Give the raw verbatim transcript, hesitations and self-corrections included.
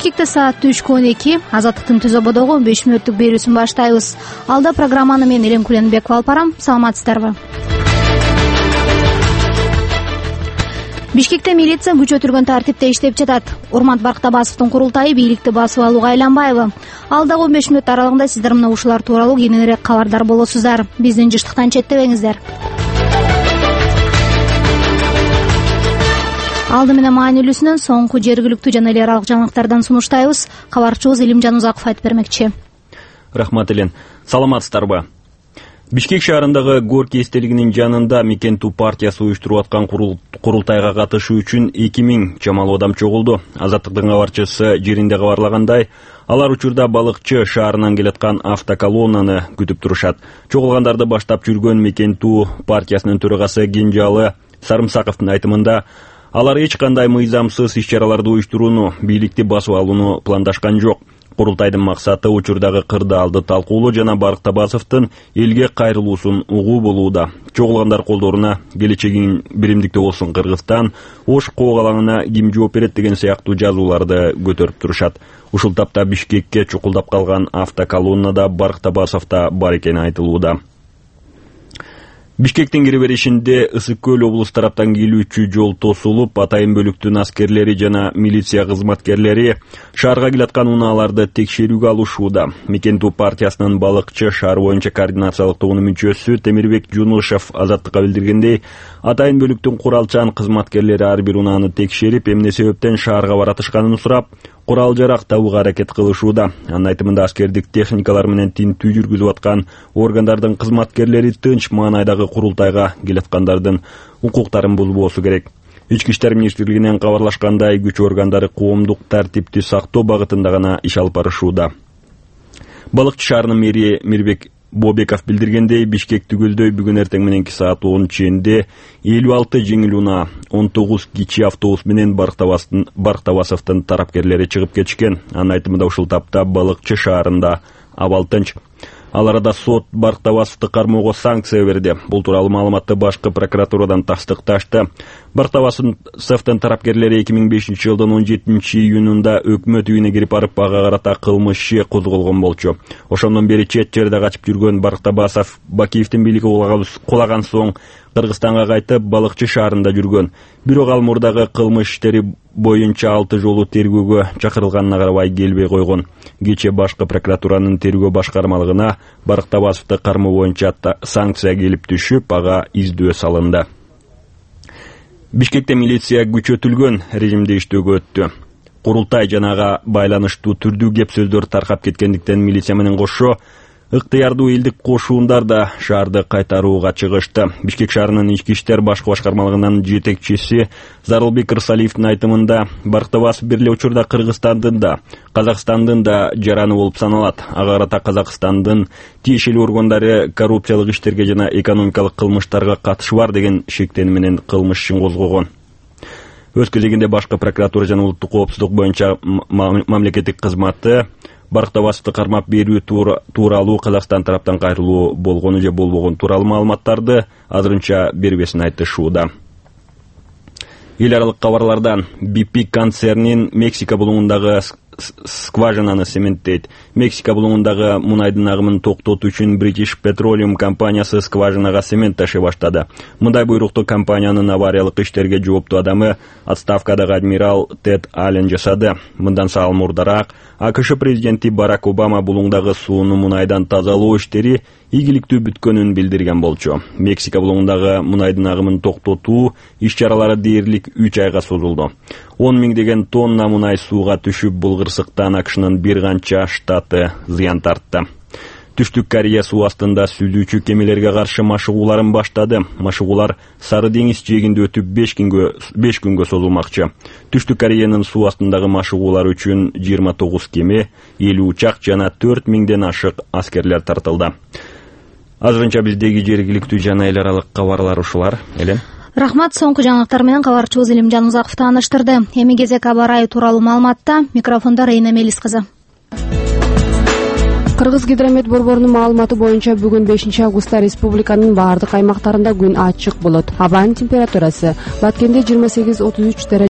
Бишкекте саат түшкү он эки. Азаттыктын түз ободогу он беш мүнөттүк берүүсүн баштайбыз. Алда программаны мен Элем Куленбекова алып барам. Саламатсыздарбы? Бишкекте милиция күчөтүлгөн тартипте иштеп жатат. Урмат Барктабасовдун курултайы бийликти басып алууга айланбайбы? Алдагы он беш мүнөт аралыгында сиздер мына ушулар тууралуу кененирээк кабардар болосуздар. Биздин жыштыктан четтебеңиздер. Алды менен маанилүүсүнөн соңку жергиликтүү жана эл аралык жаңылыктардан сунуштайбыз. Кабарчыбыз Илимжан Узаков айтып бермекчи. Рахмат Элен. Саламатсыздарбы? Бишкек шаарындагы Горький эстелигинин жанында Мекенту партиясы уюштуруп аткан курултайга катышуу үчүн эки миң чамалуу адам чогулду. Азаттыктын кабарчысы жеринде кабарлагандай, алар учурда балыкчы шаарынан келаткан автоколоннаны күтүп турушат. Чогулгандарды баштап жүргөн Мекенту партиясынын төрагасы Кенжалы Сарымсаковдун айтымында, алар эч кандай мыйзамсыз иш-чараларды уюштурууну, бийликти басып алууну пландашкан жок. Курултайдын максаты учурдагы кырдаалды талкуулоо жана Барктабасовдун элге кайрылуусун угуу болууда. Чогулгандар колдоруна келечегиң биримдикте болсун Кыргызстан, Ош коогалаңына ким жооп берет деген сыяктуу жазууларды көтөрүп турушат. Ушул тапта Бишкекке чукулдап калган автоколоннада Барктабасов да бар экени айтылууда. Бишкектин кире беришинде Ысык көл облус тараптан келүүчү жол тосулуп, атайын бөлүктүн аскерлери жана милиция кызматкерлери шаарга келаткан унааларды текшерүүгө алышууда. Мекенту партиясынын балыкчы шаар боюнча координациялык тобунун мүчөсү Темирбек Жунушев Азаттыкка билдиргендей, атайын бөлүктүн куралчан кызматкерлери ар бир унааны текшерип, эмне себептен шаарга баратышканын сурап, курал-жарак табууга аракет кылышууда. Анын айтымында аскердик техникалар менен тинтүү жүргүзүп аткан органдардын кызматкерлери тынч маанайдагы курултайга келаткандардын укуктарын бузбоосу керек. Ички иштер министрлигинен кабарлашкандай, күч органдары коомдук тартипти сактоо багытында гана иш алып барышууда. Балыкчы шаарынын мэри Мирбек Бобеков билдиргендей, Бишкек түгөлдөй бүгүн эртең мененки саат он чейинде элүү алты жеңил унаа, он тогуз кичи автобус менен Барктабасовдун тарапкерлери чыгып кетишкен. Анын айтымында ушул тапта балыкчы шаарында абал тынч. Ал арада сот Барктабасовду кармоого санкция берди. Бул тууралуу маалыматты башкы прокуратурадан тастыкташты. Барктабасовдун тарапкерлери эки миң бешинчи жылдын он жетинчи июнунда өкмөт үйүнө кирип барып, ага карата кылмыш иши козголгон болчу. Ошондон бери чет жерде качып жүргөн Барктабасов Бакиевдин бийлиги кулаган соң Кыргызстанга кайтып, балыкчы шаарында жүргөн. Бирок ал мурдагы кылмыш иштери боюнча алты жолу тергөөгө чакырылганына карабай келбей койгон. Кечээ башкы прокуратуранын тергөө башкармалыгына Барктабасовду кармоо боюнча санкция келип түшүп, ага издөө салынды. Бишкекте милиция күчөтүлгөн режимде иштөөгө өттү. Курултай жанага байланыштуу түрдүү кеп сөздөр таркап кеткендиктен милиция менен кошо ыктыярдуу элдик кошуундар да шаарды кайтарууга чыгышты. Бишкек шаарынын ички иштер башкы башкармалыгынын жетекчиси Зарылбек Рысалиевдин айтымында, Барктабасов бир эле учурда Кыргызстандын да, Казакстандын да жараны болуп саналат. Ага карата Казакстандын тиешелүү органдары коррупциялык иштерге жана экономикалык кылмыштарга катышы бар деген шектенүү менен кылмыш ишин козгогон. Өз кезегинде башкы прокуратура жана улуттук коопсуздук боюнча мамлекеттик кызматы Барктабасовду кармап берүү тууралуу Казакстан тараптан кайрылуу болгону же болбогон тууралуу маалыматтарды азырынча бербесин айтышууда. Эл аралык кабарлардан би пи концернин Мексика булуңундагы скважинаны цементтейт. Мексика булуңундагы мунайдын агымын токтотуу үчүн British Petroleum компаниясы скважинага цемент ташый баштады. Мындай буйрукту компаниянын авариялык иштерге жооптуу адамы отставкадагы адмирал Тед Аллен жасады. Мындан сал мурдараак АКШ президенти Барак Обама булуңдагы сууну мунайдан тазалоо иштери ийгиликтүү бүткөнүн билдирген болчу. Мексика булуңундагы мунайдын агымын токтотуу иш-чаралары дээрлик үч айга созулду. он миңдеген тонна мунай сууга түшүп, бул кырсыктан АКШнын бир канча штаты зыян тартты. Түштүк Корея суу астында сүзүүчү кемелерге каршы машыгууларын баштады. Машыгуулар Сары деңиз жээгинде өтүп беш күнгө созулмакчы. Түштүк Кореянын суу астындагы машыгуулар үчүн жыйырма тогуз кеме, элүү учак жана төрт миңден ашык аскерлер тартылды. Азырынча биздеги жергиликтүү жана эл аралык кабарлар ушулар. Элен. Рахмат, соңку жаңылыктар менен кабарчыбыз Илимжан Узаков тааныштырды. Эми кезек аба ырайы тууралуу маалыматта. Микрофондо Рейна Мелис кызы. Кыргызгидромет борборунун маалыматы боюнча бүгүн бешинчи августта республиканын баардык аймактарында күн ачык болот. Абанын температурасы Баткенде жыйырма сегиз отуз үч